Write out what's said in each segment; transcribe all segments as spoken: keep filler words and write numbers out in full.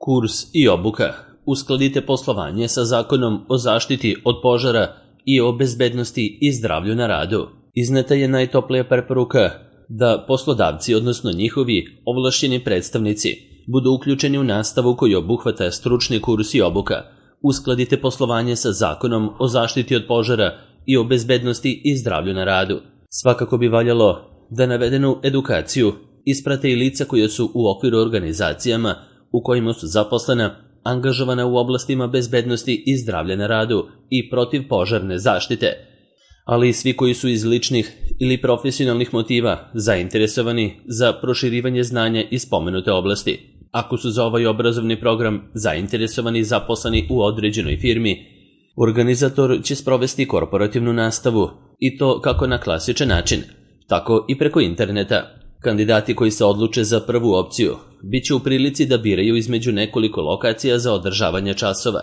Kurs i obuka. Uskladite poslovanje sa Zakonom o zaštiti od požara i o bezbednosti i zdravlju na radu. Izneta je najtoplija preporuka da poslodavci, odnosno njihovi ovlašćeni predstavnici, budu uključeni u nastavu koji obuhvata stručni kurs i obuka. Uskladite poslovanje sa Zakonom o zaštiti od požara i o bezbednosti i zdravlju na radu. Svakako bi valjalo da navedenu edukaciju isprate i lica koje su u okviru organizacijama u kojima su zaposlena, angažovana u oblastima bezbednosti i zdravlja na radu i protivpožarne zaštite, ali i svi koji su iz ličnih ili profesionalnih motiva zainteresovani za proširivanje znanja iz spomenute oblasti. Ako su za ovaj obrazovni program zainteresovani i zaposleni u određenoj firmi, organizator će sprovesti korporativnu nastavu i to kako na klasičan način, tako i preko interneta. Kandidati koji se odluče za prvu opciju bit će u prilici da biraju između nekoliko lokacija za održavanje časova,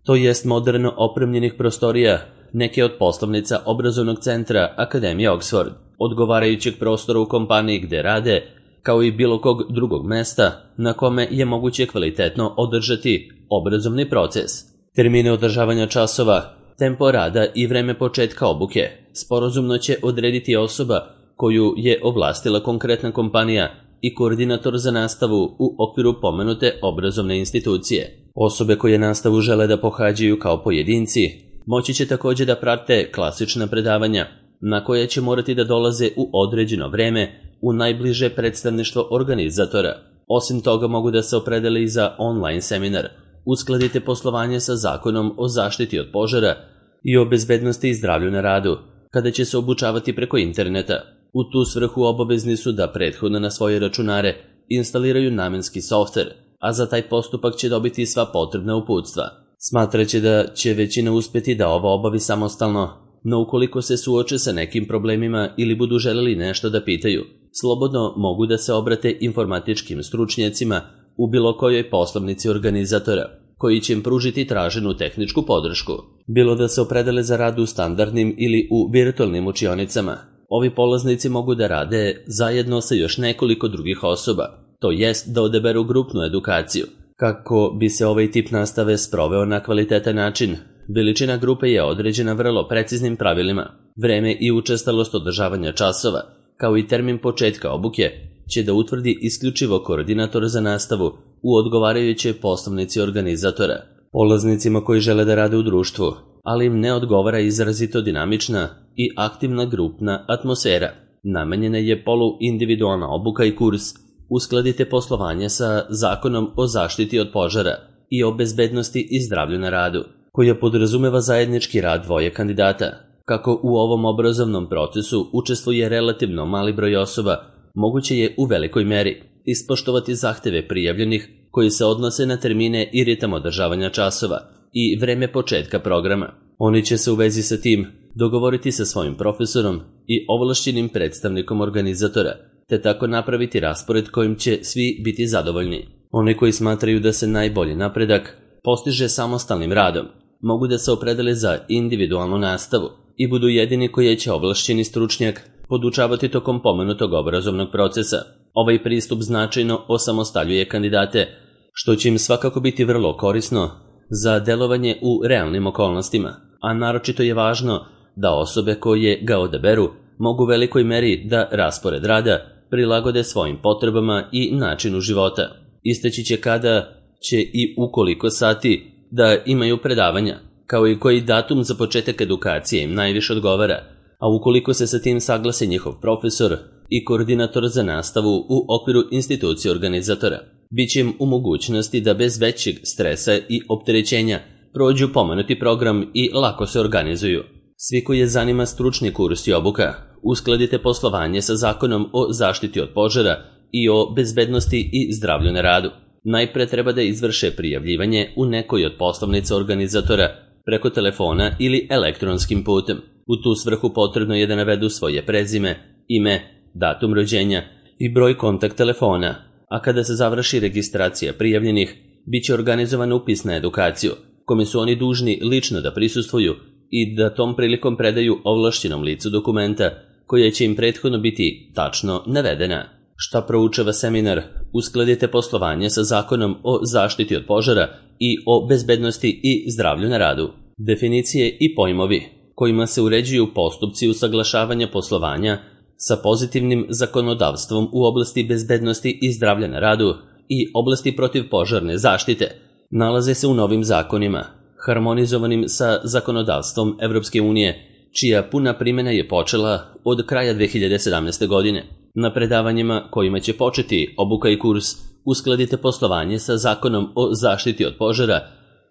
to jest moderno opremljenih prostorija neke od poslovnica obrazovnog centra Akademije Oxford, odgovarajućeg prostora u kompaniji gde rade, kao i bilo kog drugog mesta na kome je moguće kvalitetno održati obrazovni proces. Termine održavanja časova, tempo rada i vreme početka obuke sporazumno će odrediti osoba koju je ovlastila konkretna kompanija i koordinator za nastavu u okviru pomenute obrazovne institucije. Osobe koje nastavu žele da pohađaju kao pojedinci moći će također da prate klasična predavanja na koje će morati da dolaze u određeno vreme u najbliže predstavništvo organizatora. Osim toga mogu da se opredele i za online seminar. Uskladite poslovanje sa Zakonom o zaštiti od požara i o bezbednosti i zdravlju na radu, kada će se obučavati preko interneta. U tu svrhu obavezni su da prethodno na svoje računare instaliraju namenski softver, a za taj postupak će dobiti sva potrebna uputstva. Smatraće da će većina uspjeti da ovo obavi samostalno, no ukoliko se suoče sa nekim problemima ili budu želeli nešto da pitaju, slobodno mogu da se obrate informatičkim stručnjacima u bilo kojoj poslovnici organizatora, koji će im pružiti traženu tehničku podršku. Bilo da se opredele za rad u standardnim ili u virtualnim učionicama, ovi polaznici mogu da rade zajedno sa još nekoliko drugih osoba, to jest da odaberu grupnu edukaciju. Kako bi se ovaj tip nastave sproveo na kvalitetan način, veličina grupe je određena vrlo preciznim pravilima. Vreme i učestalost održavanja časova, kao i termin početka obuke, će da utvrdi isključivo koordinator za nastavu u odgovarajućoj poslovnici organizatora. Polaznicima koji žele da rade u društvu, ali im ne odgovara izrazito dinamična i aktivna grupna atmosfera, namenjena je poluindividualna obuka i kurs. Uskladite poslovanje sa Zakonom o zaštiti od požara i o bezbednosti i zdravlju na radu, koja podrazumeva zajednički rad dvoje kandidata. Kako u ovom obrazovnom procesu učestvuje relativno mali broj osoba, moguće je u velikoj meri ispoštovati zahteve prijavljenih koji se odnose na termine i ritam održavanja časova i vreme početka programa. Oni će se u vezi sa tim dogovoriti sa svojim profesorom i ovlašćenim predstavnikom organizatora, te tako napraviti raspored kojim će svi biti zadovoljni. Oni koji smatraju da se najbolji napredak postiže samostalnim radom, mogu da se opredele za individualnu nastavu i budu jedini koji će ovlašćeni stručnjak podučavati tokom pomenutog obrazovnog procesa. Ovaj pristup značajno osamostaljuje kandidate, što će im svakako biti vrlo korisno za delovanje u realnim okolnostima, a naročito je važno da osobe koje ga odaberu mogu u velikoj meri da raspored rada prilagode svojim potrebama i načinu života. Isteći će kada će i ukoliko sati da imaju predavanja, kao i koji datum za početak edukacije im najviše odgovara, a ukoliko se sa tim saglase njihov profesor i koordinator za nastavu u okviru institucije organizatora, bit će im u mogućnosti da bez većeg stresa i opterećenja prođu pomenuti program i lako se organizuju. Svi koji je zanima stručni kurs i obuka, uskladite poslovanje sa Zakonom o zaštiti od požara i o bezbednosti i zdravlju na radu. Najpre treba da izvrše prijavljivanje u nekoj od poslovnica organizatora preko telefona ili elektronskim putem. U tu svrhu potrebno je da navedu svoje prezime, ime, datum rođenja i broj kontakt telefona, a kada se završi registracija prijavljenih, bit će organizovan upis na edukaciju, kome su oni dužni lično da prisustvuju i da tom prilikom predaju ovlašćenom licu dokumenta koja će im prethodno biti tačno navedena. Šta proučava seminar Uskladite poslovanje sa Zakonom o zaštiti od požara i o bezbednosti i zdravlju na radu. Definicije i pojmovi kojima se uređuju postupci usaglašavanja poslovanja sa pozitivnim zakonodavstvom u oblasti bezbednosti i zdravlja na radu i oblasti protivpožarne zaštite nalaze se u novim zakonima, harmonizovanim sa zakonodavstvom Evropske unije, čija puna primjena je počela od kraja dve hiljade sedamnaeste. godine. Na predavanjima kojima će početi obuka i kurs Uskladite poslovanje sa Zakonom o zaštiti od požara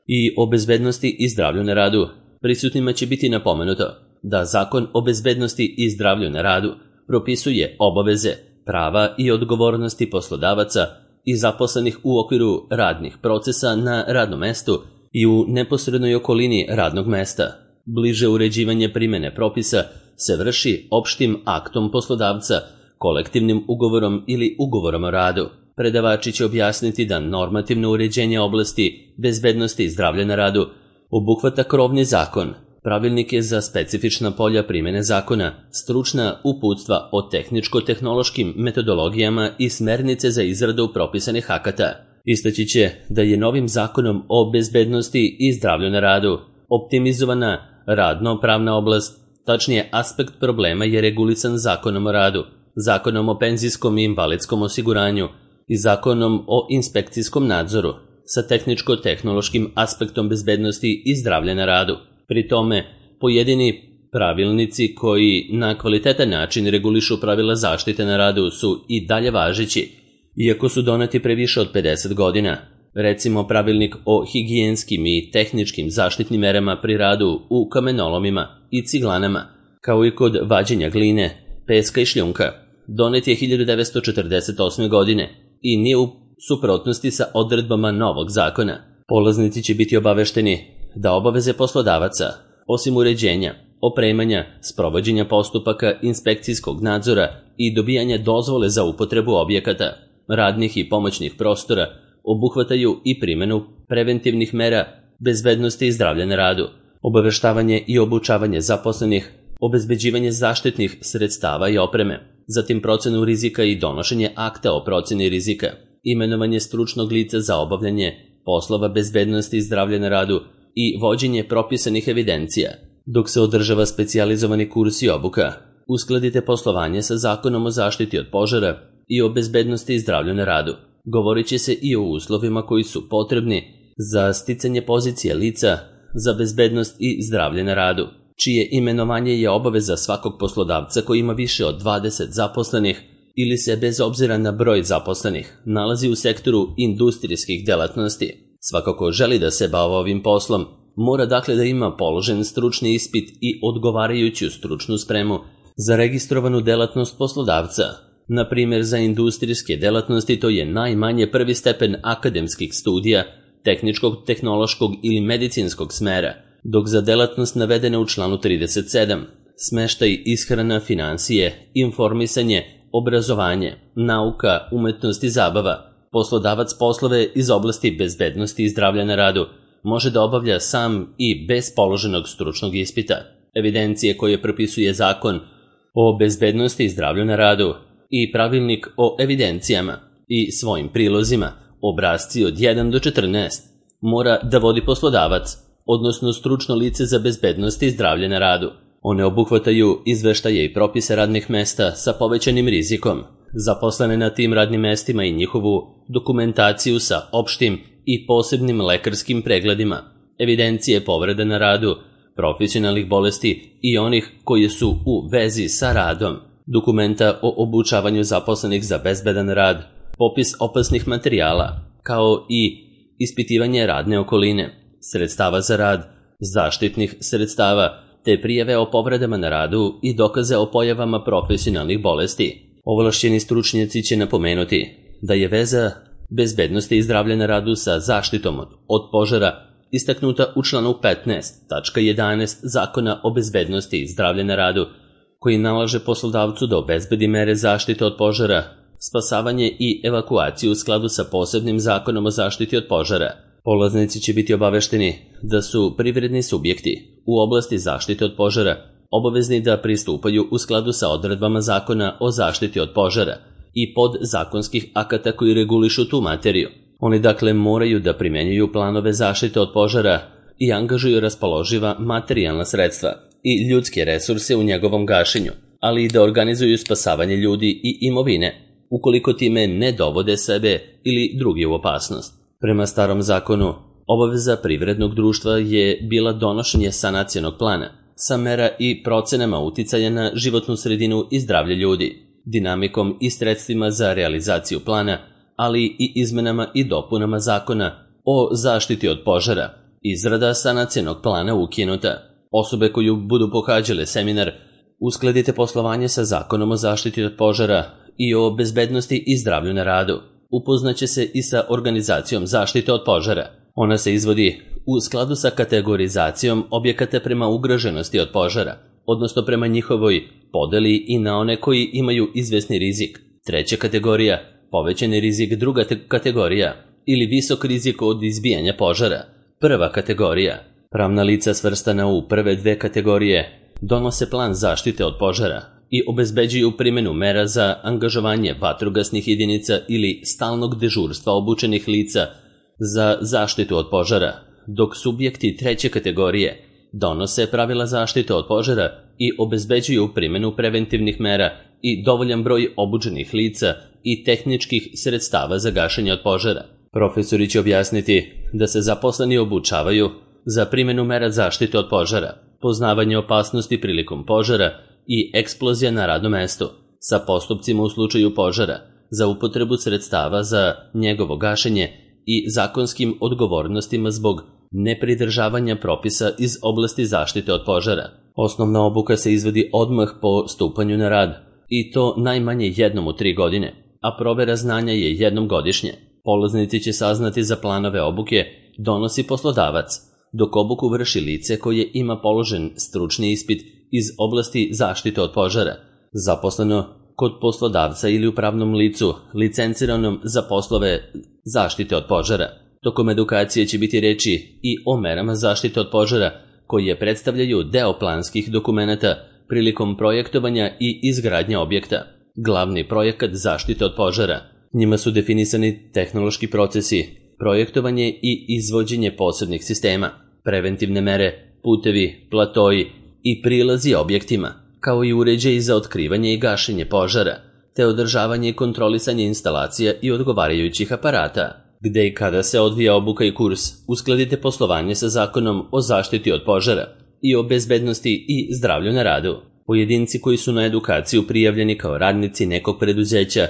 i o bezbednosti i zdravlju na radu, prisutnima će biti napomenuto da Zakon o bezbednosti i zdravlju na radu propisuje obaveze, prava i odgovornosti poslodavaca i zaposlenih u okviru radnih procesa na radnom mestu i u neposrednoj okolini radnog mesta. Bliže uređivanje primjene propisa se vrši opštim aktom poslodavca, kolektivnim ugovorom ili ugovorom o radu. Predavači će objasniti da normativno uređenje oblasti bezbednosti i zdravlja na radu obuhvata krovni zakon, pravilnike za specifična polja primjene zakona, stručna uputstva o tehničko-tehnološkim metodologijama i smernice za izradu propisanih akata. Istaći će da je novim zakonom o bezbednosti i zdravlju na radu optimizovana radno-pravna oblast, tačnije aspekt problema je regulisan Zakonom o radu, Zakonom o penzijskom i invalidskom osiguranju i Zakonom o inspekcijskom nadzoru sa tehničko-tehnološkim aspektom bezbednosti i zdravlja na radu. Pri tome, pojedini pravilnici koji na kvalitetan način regulišu pravila zaštite na radu su i dalje važeći, iako su doneti pre više od pedeset godina. Recimo pravilnik o higijenskim i tehničkim zaštitnim merama pri radu u kamenolomima i ciglanama, kao i kod vađenja gline, peska i šljunka, donet je hiljadu devetsto četrdeset osme. godine i nije u suprotnosti sa odredbama novog zakona. Polaznici će biti obavešteni da obaveze poslodavaca, osim uređenja, opremanja, sprovođenja postupaka inspekcijskog nadzora i dobijanja dozvole za upotrebu objekata, radnih i pomoćnih prostora, obuhvataju i primjenu preventivnih mera bezbednosti i zdravlja na radu, obaveštavanje i obučavanje zaposlenih, obezbeđivanje zaštitnih sredstava i opreme, zatim procenu rizika i donošenje akta o proceni rizika, imenovanje stručnog lica za obavljanje poslova bezbednosti i zdravlja na radu i vođenje propisanih evidencija. Dok se održava specijalizovani kurs i obuka, uskladite poslovanje sa Zakonom o zaštiti od požara i o bezbednosti i zdravlju na radu. Govorit će se i o uslovima koji su potrebni za sticanje pozicije lica za bezbednost i zdravlje na radu, čije imenovanje je obaveza svakog poslodavca koji ima više od dvadeset zaposlenih ili se bez obzira na broj zaposlenih nalazi u sektoru industrijskih delatnosti. Svako ko želi da se bavi ovim poslom mora dakle da ima položen stručni ispit i odgovarajuću stručnu spremu za registrovanu delatnost poslodavca. Na primjer, za industrijske delatnosti to je najmanje prvi stepen akademskih studija, tehničkog, tehnološkog ili medicinskog smera, dok za delatnost navedene u članu trideset sedam, smeštaj, ishrana, finansije, informisanje, obrazovanje, nauka, umetnost i zabava, poslodavac poslove iz oblasti bezbednosti i zdravlja na radu može da obavlja sam i bez položenog stručnog ispita. Evidencije koje propisuje Zakon o bezbednosti i zdravlju na radu i pravilnik o evidencijama i svojim prilozima, obrasci od jedan do četrnaest, mora da vodi poslodavac, odnosno stručno lice za bezbednost i zdravlje na radu. One obuhvataju izveštaje i propise radnih mesta sa povećanim rizikom, zaposlene na tim radnim mestima i njihovu dokumentaciju sa opštim i posebnim lekarskim pregledima, evidencije povreda na radu, profesionalnih bolesti i onih koje su u vezi sa radom, dokumenta o obučavanju zaposlenih za bezbedan rad, popis opasnih materijala, kao i ispitivanje radne okoline, sredstava za rad, zaštitnih sredstava, te prijave o povredama na radu i dokaze o pojavama profesionalnih bolesti. Ovlašćeni stručnjaci će napomenuti da je veza bezbednosti i zdravlja na radu sa zaštitom od požara istaknuta u članu petnaest tačka jedanaest Zakona o bezbednosti i zdravlja na radu, koji nalaže poslodavcu da obezbedi mere zaštite od požara, spasavanje i evakuaciju u skladu sa posebnim Zakonom o zaštiti od požara. Polaznici će biti obavešteni da su privredni subjekti u oblasti zaštite od požara obavezni da pristupaju u skladu sa odredbama Zakona o zaštiti od požara i podzakonskih akata koji regulišu tu materiju. Oni dakle moraju da primenjuju planove zaštite od požara i angažuju raspoloživa materijalna sredstva i ljudske resurse u njegovom gašenju, ali i da organizuju spasavanje ljudi i imovine, ukoliko time ne dovode sebe ili drugi u opasnost. Prema starom zakonu, obaveza privrednog društva je bila donošenje sanacionog plana sa mera i procenama uticaja na životnu sredinu i zdravlje ljudi, dinamikom i sredstvima za realizaciju plana, ali i izmenama i dopunama zakona o zaštiti od požara. Izrada sanacionog plana ukinuta. Osobe koju budu pohađale seminar Uskladite poslovanje sa zakonom o zaštiti od požara i o bezbednosti i zdravlju na radu upoznaće se i sa organizacijom zaštite od požara. Ona se izvodi u skladu sa kategorizacijom objekata prema ugroženosti od požara, odnosno prema njihovoj podeli i na one koji imaju izvesni rizik. Treća kategorija, povećani rizik. Druga kategorija ili visok rizik od izbijanja požara. Prva kategorija. Pravna lica svrstana u prve dve kategorije donose plan zaštite od požara i obezbeđuju primjenu mera za angažovanje vatrogasnih jedinica ili stalnog dežurstva obučenih lica za zaštitu od požara, dok subjekti treće kategorije donose pravila zaštite od požara i obezbeđuju primjenu preventivnih mera i dovoljan broj obučenih lica i tehničkih sredstava za gašenje od požara. Profesori će objasniti da se zaposleni obučavaju za primjenu mera zaštite od požara, poznavanje opasnosti prilikom požara i eksplozija na radnom mestu, sa postupcima u slučaju požara, za upotrebu sredstava za njegovo gašenje i zakonskim odgovornostima zbog nepridržavanja propisa iz oblasti zaštite od požara. Osnovna obuka se izvodi odmah po stupanju na rad, i to najmanje jednom u tri godine, a provera znanja je jednom godišnje. Polaznici će saznati za planove obuke donosi poslodavac, dok obuku vrši lice koje ima položen stručni ispit iz oblasti zaštite od požara, zaposleno kod poslodavca ili u pravnom licu licenciranom za poslove zaštite od požara. Tokom edukacije će biti reči i o merama zaštite od požara koje predstavljaju deo planskih dokumenata prilikom projektovanja i izgradnje objekta. Glavni projekat zaštite od požara. Njima su definisani tehnološki procesi, projektovanje i izvođenje posebnih sistema, preventivne mere, putevi, platoji i prilazi objektima, kao i uređaji za otkrivanje i gašenje požara, te održavanje i kontrolisanje instalacija i odgovarajućih aparata. Gde i kada se odvija obuka i kurs, uskladite poslovanje sa zakonom o zaštiti od požara i o bezbednosti i zdravlju na radu. Pojedinci koji su na edukaciju prijavljeni kao radnici nekog preduzeća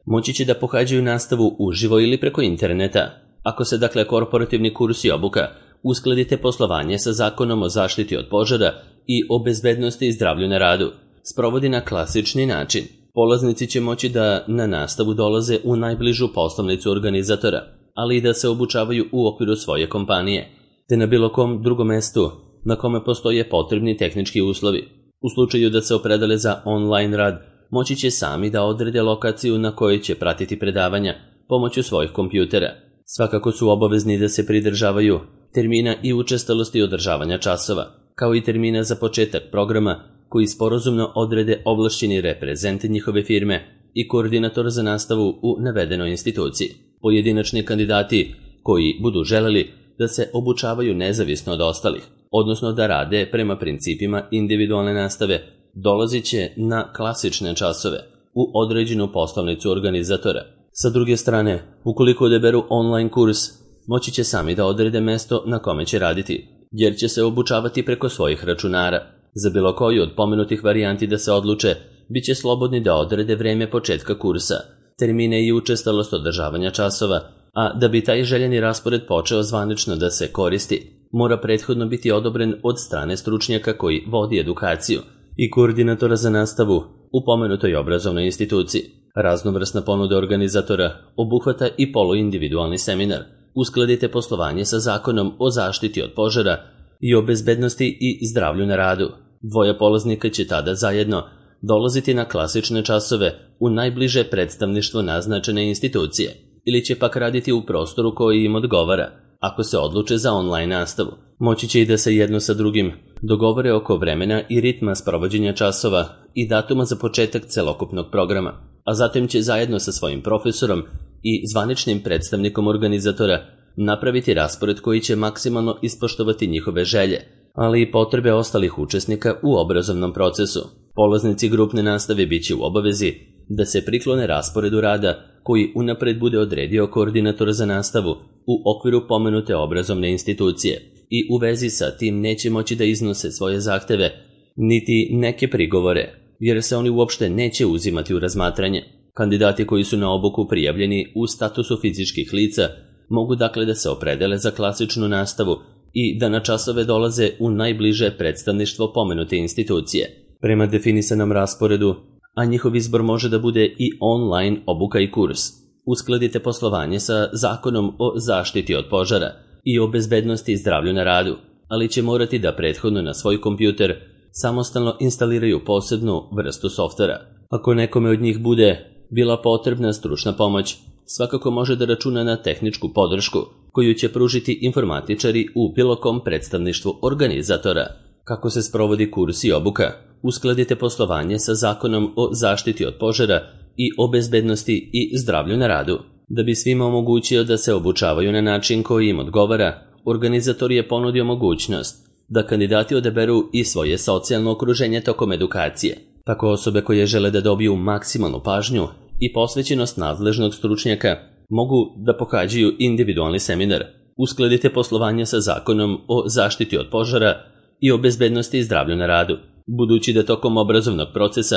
moći će da pohađaju nastavu uživo ili preko interneta. Ako se dakle korporativni kurs i obuka uskladite poslovanje sa zakonom o zaštiti od požara i o bezbednosti i zdravlju na radu sprovodi na klasični način, polaznici će moći da na nastavu dolaze u najbližu poslovnicu organizatora, ali i da se obučavaju u okviru svoje kompanije, te na bilo kom drugom mestu na kome postoje potrebni tehnički uslovi. U slučaju da se opredele za online rad, moći će sami da odrede lokaciju na kojoj će pratiti predavanja pomoću svojih kompjutera. Svakako su obavezni da se pridržavaju termina i učestalosti održavanja časova, kao i termina za početak programa koji sporazumno odrede ovlašćeni reprezent njihove firme i koordinator za nastavu u navedenoj instituciji. Pojedinačni kandidati koji budu želeli da se obučavaju nezavisno od ostalih, odnosno da rade prema principima individualne nastave, dolazit će na klasične časove u određenu poslovnicu organizatora. Sa druge strane, ukoliko odaberu online kurs, moći će sami da odrede mesto na kome će raditi, jer će se obučavati preko svojih računara. Za bilo koju od pomenutih varijanti da se odluče, bit će slobodni da odrede vreme početka kursa, termine i učestalost održavanja časova, a da bi taj željeni raspored počeo zvanično da se koristi, mora prethodno biti odobren od strane stručnjaka koji vodi edukaciju i koordinatora za nastavu u pomenutoj obrazovnoj instituciji. Raznovrsna ponuda organizatora obuhvata i poluindividualni seminar. Uskladite poslovanje sa zakonom o zaštiti od požara i o bezbednosti i zdravlju na radu. Dvoje polaznika će tada zajedno dolaziti na klasične časove u najbliže predstavništvo naznačene institucije ili će pak raditi u prostoru koji im odgovara. Ako se odluče za online nastavu, moći će i da se jedno sa drugim dogovore oko vremena i ritma sprovođenja časova i datuma za početak celokupnog programa. a zatim će zajedno sa svojim profesorom i zvaničnim predstavnikom organizatora napraviti raspored koji će maksimalno ispoštovati njihove želje, ali i potrebe ostalih učesnika u obrazovnom procesu. Polaznici grupne nastave bit će u obavezi da se priklone rasporedu rada koji unapred bude odredio koordinator za nastavu u okviru pomenute obrazovne institucije i u vezi sa tim neće moći da iznose svoje zahteve niti neke prigovore, jer se oni uopšte neće uzimati u razmatranje. Kandidati koji su na obuku prijavljeni u statusu fizičkih lica mogu dakle da se opredele za klasičnu nastavu i da na časove dolaze u najbliže predstavništvo pomenute institucije. Prema definisanom rasporedu, a njihov izbor može da bude i online obuka i kurs, uskladite poslovanje sa Zakonom o zaštiti od požara i o bezbednosti i zdravlju na radu, ali će morati da prethodno na svoj kompjuter samostalno instaliraju posebnu vrstu softvera. Ako nekome od njih bude bila potrebna stručna pomoć, svakako može da računa na tehničku podršku koju će pružiti informatičari u bilo kom predstavništvu organizatora. Kako se sprovodi kurs i obuka? Uskladite poslovanje sa Zakonom o zaštiti od požara i o bezbednosti i zdravlju na radu. Da bi svima omogućio da se obučavaju na način koji im odgovara, organizator je ponudio mogućnost da kandidati odaberu i svoje socijalno okruženje tokom edukacije. Tako osobe koje žele da dobiju maksimalnu pažnju i posvećenost nadležnog stručnjaka mogu da pohađaju individualni seminar. Uskladite poslovanje sa Zakonom o zaštiti od požara i o bezbednosti i zdravlju na radu. Budući da tokom obrazovnog procesa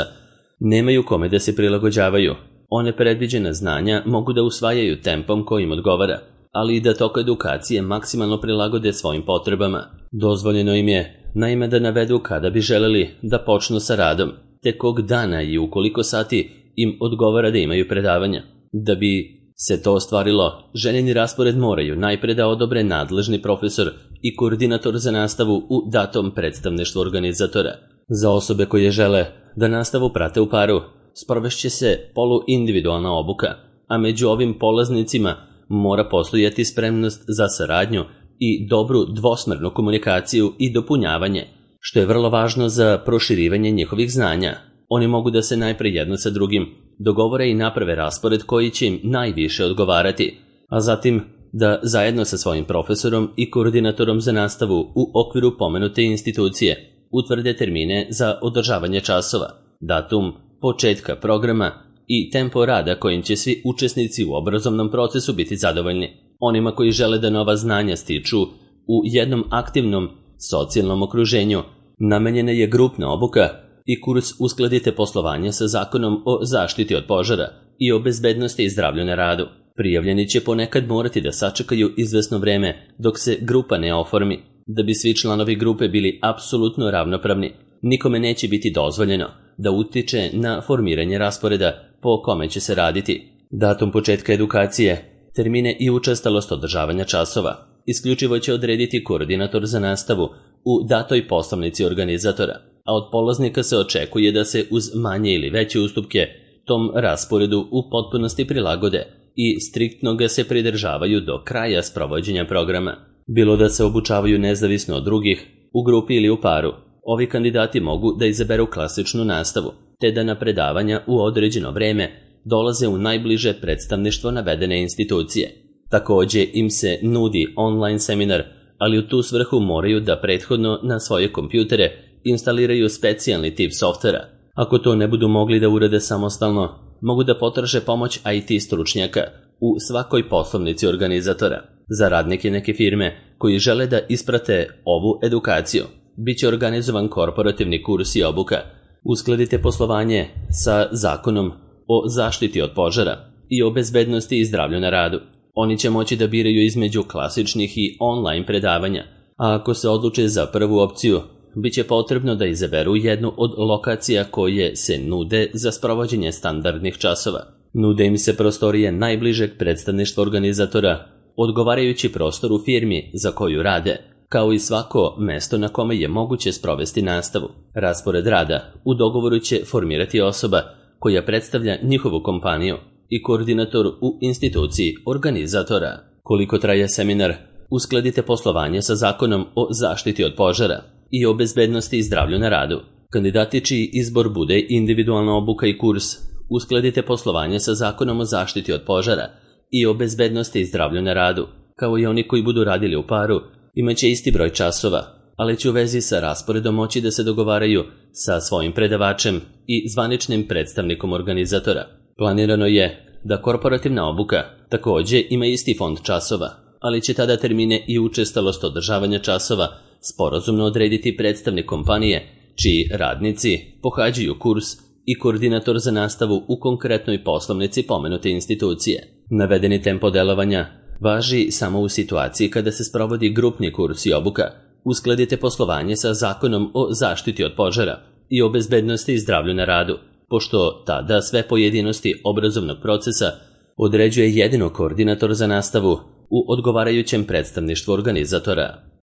nemaju kome da se prilagođavaju, one predviđena znanja mogu da usvajaju tempom kojim odgovara, ali i da tok edukacije maksimalno prilagode svojim potrebama. Dozvoljeno im je, naime, da navedu kada bi želeli da počnu sa radom, te kog dana i u koliko sati im odgovara da imaju predavanja. Da bi se to ostvarilo, željeni raspored moraju najpre da odobre nadležni profesor i koordinator za nastavu u datom predstavništvu organizatora. Za osobe koje žele da nastavu prate u paru, sprovešće se poluindividualna obuka, a među ovim polaznicima mora postojati spremnost za saradnju i dobru dvosmernu komunikaciju i dopunjavanje, što je vrlo važno za proširivanje njihovih znanja. Oni mogu da se najpre jedno sa drugim dogovore i naprave raspored koji će im najviše odgovarati, a zatim da zajedno sa svojim profesorom i koordinatorom za nastavu u okviru pomenute institucije utvrde termine za održavanje časova, datum početka programa i tempo rada kojim će svi učesnici u obrazovnom procesu biti zadovoljni. Onima koji žele da nova znanja stiču u jednom aktivnom socijalnom okruženju namenjena je grupna obuka i kurs uskladite poslovanje sa Zakonom o zaštiti od požara i o bezbednosti i zdravlju na radu. Prijavljeni će ponekad morati da sačekaju izvesno vreme dok se grupa ne oformi. Da bi svi članovi grupe bili apsolutno ravnopravni, nikome neće biti dozvoljeno da utiče na formiranje rasporeda po kome će se raditi, datum početka edukacije, termine i učestalost održavanja časova. Isključivo će odrediti koordinator za nastavu u datoj poslovnici organizatora, a od polaznika se očekuje da se uz manje ili veće ustupke tom rasporedu u potpunosti prilagode i striktno ga se pridržavaju do kraja sprovođenja programa. Bilo da se obučavaju nezavisno od drugih, u grupi ili u paru, ovi kandidati mogu da izaberu klasičnu nastavu, te da na predavanja u određeno vreme dolaze u najbliže predstavništvo navedene institucije. Takođe im se nudi online seminar, ali u tu svrhu moraju da prethodno na svoje kompjutere instaliraju specijalni tip softvera. Ako to ne budu mogli da urade samostalno, mogu da potraže pomoć I T stručnjaka u svakoj poslovnici organizatora. Za radnike neke firme koji žele da isprate ovu edukaciju, bit će organizovan korporativni kurs i obuka. Uskladite poslovanje sa Zakonom o zaštiti od požara i o bezbednosti i zdravlju na radu. Oni će moći da biraju između klasičnih i online predavanja, a ako se odluče za prvu opciju, bit će potrebno da izaberu jednu od lokacija koje se nude za sprovođenje standardnih časova. Nude im se prostorije najbližeg predstavništva organizatora, odgovarajući prostor u firmi za koju rade, kao i svako mesto na kome je moguće sprovesti nastavu. Raspored rada u dogovoru će formirati osoba koja predstavlja njihovu kompaniju i koordinator u instituciji organizatora. Koliko traje seminar, uskladite poslovanje sa Zakonom o zaštiti od požara i o bezbednosti i zdravlju na radu. Kandidati čiji izbor bude individualna obuka i kurs uskladite poslovanje sa Zakonom o zaštiti od požara i o bezbednosti i zdravlju na radu. Kao i oni koji budu radili u paru, imaće isti broj časova, ali će u vezi sa rasporedom moći da se dogovaraju sa svojim predavačem i zvaničnim predstavnikom organizatora. Planirano je da korporativna obuka takođe ima isti fond časova, ali će tada termine i učestalost održavanja časova sporazumno odrediti predstavnik kompanije, čiji radnici pohađaju kurs i koordinator za nastavu u konkretnoj poslovnici pomenute institucije. Navedeni tempo delovanja važi samo u situaciji kada se sprovodi grupni kurs i obuka. Uskladite poslovanje sa Zakonom o zaštiti od požara i o bezbednosti i zdravlju na radu, pošto tada sve pojedinosti obrazovnog procesa određuje jedino koordinator za nastavu u odgovarajućem predstavništvu organizatora.